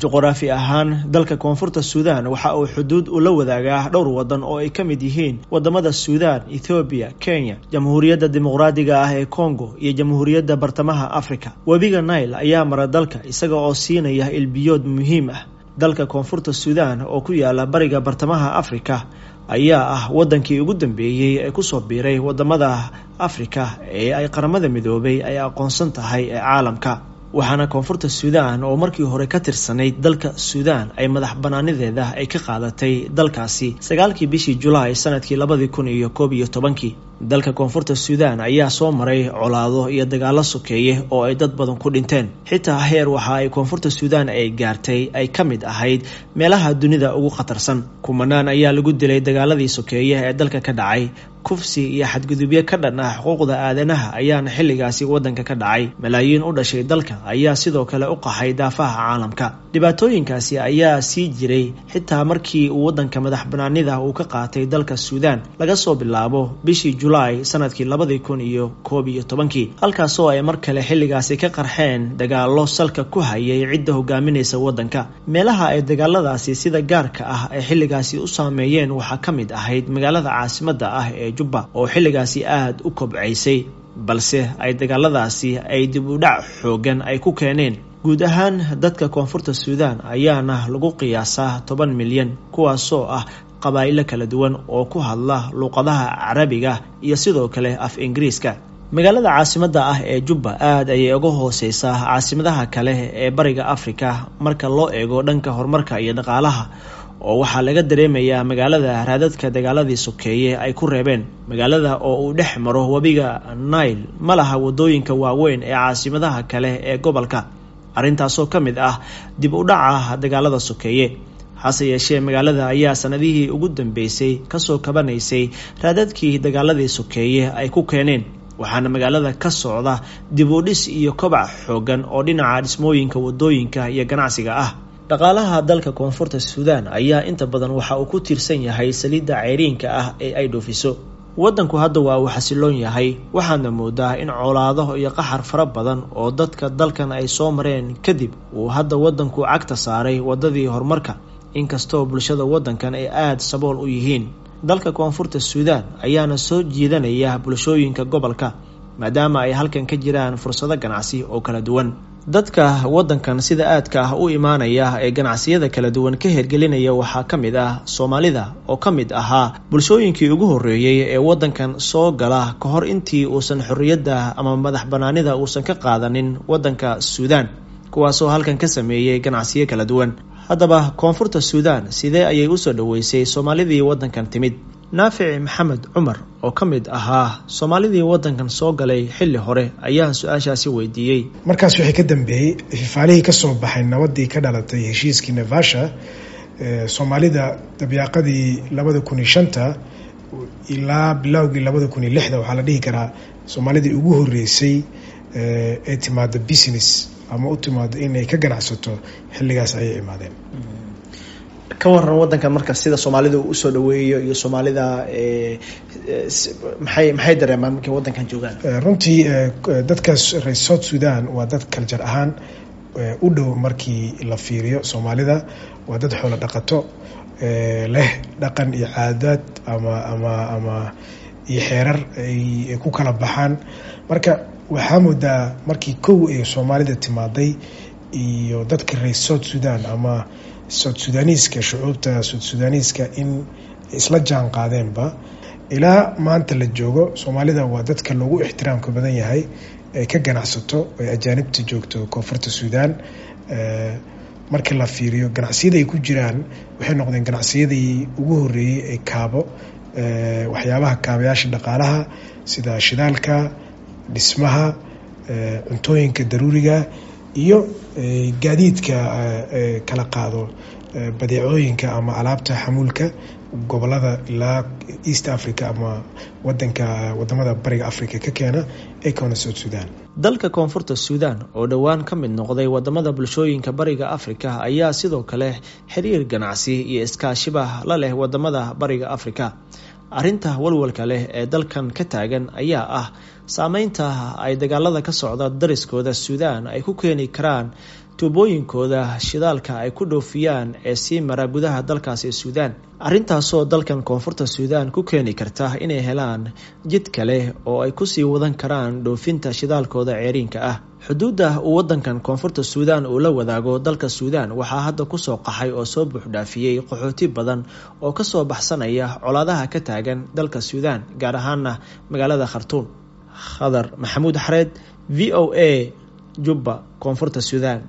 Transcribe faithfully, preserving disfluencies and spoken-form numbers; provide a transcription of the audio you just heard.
Juqraafi ahaan, dalka Koonfurta Suudaan waxa uu xuduud ula wadaagaa dhowr wadan oo ay ka mid yihiin wadamada Suudaan, Ethoobiya, Kenya, Jamhuuriyadda Dimuqraadiga ah ee Congo iyo Jamhuuriyadda Bartamaha Afrika. Webiga Nile ayaa mara dalka, isaga oo siinaya ilbiyood muhiim ah. Dalka Koonfurta Suudaan oo ku yaala bariga bartamaha Afrika ayaa ah wadankii ugu dambeeyey ee kusoo biiray wadamada Afrika ee ay Qaramada Midoobay ay aqoonsan tahay ee caalamka, waxaana Koonfurta Suudaan oo markii hore ka tirsanayd dalka Suudaan ay madax banaanideeda ay ka qaadatay dalkaasi sagaalkii bishii Julaay sanadkii labadii kun iyo koob iyo tobankii. Dalka Koonfurta Suudaan ayaa soo maray colaado iyo dagaalo sokeeye oo ay dad badan ku dhinteen, xitaa heer waxa ay Koonfurta Suudaan ay gaartay ay ka mid ahayd meelaha dunida ugu khatarsan. Kumanaan ayaa lagu dilay dagaaladii sokeeye ee dalka ka dhacay. Kufsi iyo xadgudubyo ka dhan ah xuquuqda aadanaha ayaana xilligaasi waddanka ka dhacay. Malaayiin u dhashay dalka ayaa sidoo kale u qaxay daafaha caalamka. Dhibaatooyinkaasi ayaa sii jiray xitaa markii uu waddanka madax banaanida uu ka qaatay dalka Suudaan, laga soo bilaabo bishii Julaay sanadkii labadii kun iyo koob iyo tobankii, halkaasoo ay mar kale xilligaasi ka qarxeen dagaallo salka ku hayay cidda hogaaminaysa waddanka. Meelaha ay dagaaladaasi sida gaarka ah ay xilligaasi u saameeyeen waxaa ka mid ahayd magaalada caasimadda ah ee Jubba oo xilligaasi aada u kobcaysay, balse ay dagaaladaasi ay dib u dhac xoogan ay ku keeneen. Guud ahaan dadka Koonfurta Suudaan ayaana lagu qiyaasaa toban milyan, kuwaasoo ah qabaa'ilo kala duwan oo ku hadla luuqadaha Carabiga iyo sidoo kale af Ingiriiska. Magaalada caasimadda ah ee Jubba aad ayay uga hooseysaa caasimadaha kale ee bariga Afrika marka loo eego dhanka horumarka iyo dhaqaalaha, oo waxaa laga dareemayaa magaalada raadadka dagaaladii sokeeye ay ku reebeen. Magaalada oo uu dhex maro webiga Nile ma laha wadooyinka waaweyn ee caasimadaha kale ee gobolka, arrintaasoo ka mid ah dib u dhaca dagaalada sokeeye. Hase yeeshee, magaalada ayaa sanadihii ugu dambeysay kasoo kabanaysay raadadkii dagaaladii sokeeye ay ku keeneen, waxaana magaalada ka socda dib u dhis iyo kobac xoogan oo dhinaca dhismooyinka, wadooyinka iyo ganacsiga ah. Dhaqaalaha dalka Koonfurta Suudaan ayaa inta badan waxa uu ku tiirsan yahay saliidda ceyriinka ah ee ay dhoofiso waddanku. Hadda waa uu xasiloon yahay, waxaadna moodaa in colaado iyo qaxar fara badan oo dadka dalkan ay soo mareen kadib uu hadda waddanku cagta saaray waddadii horumarka, inkastoo bulshada waddankan ay aada sabool u yihiin. Dalka Koonfurta Suudaan ayaana soo jiidanaya bulshooyinka gobolka, maadaama ay halkan ka jiraan fursado ganacsi oo kala duwan. Dadka waddankan sida aadka ah u imaanaya ee ganacsiyada kala duwan ka hergelinaya waxaa ka mid ah Soomaalida oo ka mid ahaa bulshooyinkii ugu horreeyey ee waddankan soo gala ka hor intii uusan xorriyadda ama madax banaanida uusan ka qaadanin waddanka Suudaan, kuwaasoo halkan ka sameeyey ganacsiyo kala duwan. Haddaba, Koonfurta Suudaan sidee ayay usoo dhoweysay Soomaalidii waddankan timid? Naafic Maxamed Cumar oo ka mid ahaa Soomaalidii waddankan soo galay xilli hore ayaan su-aashaasi weydiiyey. Markaas wixii ka dambeeyey, fifaalihii ka soo baxay nabadii ka dhalatay heshiiskii Naivasha, Soomaalida dabyaaqadii labada kun iyo shanta ilaa bilowgii labada kun iyo lixda, waxaa la dhihi karaa Soomaalidii ugu horreysay ee timaada business ama u timaado inay ka ganacsato xilligaas ayay imaadeen. Ka waran wadankan marka, sida Soomaalida uu usoo dhaweeyo iyo Soomaalida maxay maxay dareemaan markay wadankan joogaan? Runtii dadkaas reer South Sudan waa dad culture ahaan u dhow markii la fiiriyo Soomaalida. Waa dad xoolo dhaqato leh, dhaqan iyo caadaad ama ama ama iyo xeerar ay ku kala baxaan. Marka waxaa moodaa markii kow ee Soomaalida timaaday iyo dadka reer South Sudan ama South Sudaniiska, shucuubta South Sudaniiska, in isla jaan qaadeenba. Ilaa maanta la joogo, Soomaalida waa dadka loogu ixtiraamka badan yahay ee ka ganacsato ee ajaanibta joogto Koonfurta Suudaan. Marka la fiiriyo ganacsiyada ay ku jiraan, waxay noqdeen ganacsiyadii ugu horreeyey ee kaabo waxyaabaha kaabayaasha dhaqaalaha sida shidaalka, dhismaha, cuntooyinka daruuriga iyo gaadiidka kala qaado badeecooyinka ama alaabta xamuulka gobolada ilaa East Africa ama wadanka wadamada bariga Africa ka keena ee keena South Sudan. Dalka Koonfurta Suudaan oo dhowaan ka mid noqday wadamada bulshooyinka bariga Afrika ayaa sidoo kale xiriir ganacsi iyo iskaashiba la leh wadamada bariga Afrika. Arrinta walwalka leh ee dalkan ka taagan ayaa ah saameynta ay dagaalada ka socda dariskooda Suudaan ay ku keeni karaan. Tuubooyinkooda shidaalka ay ku dhoofiyaan ee sii mara gudaha dalkaasi Suudaan, arrintaasoo dalkan Koonfurta Suudaan ku keeni karta inay helaan jid kale oo ay kusii wadan karaan dhoofinta shidaalkooda ceeriinka ah. Xuduudda uu wadankan Koonfurta Suudaan uu la wadaago dalka Suudaan waxaa hadda kusoo qaxay oo soo buuxdhaafiyey qaxooti badan oo kasoo baxsanaya colaadaha ka taagan dalka Suudaan, gaar ahaana magaalada Khartuum. Khadar Maxamuud Xareed, V O A, Jubba, Koonfurta Suudaan.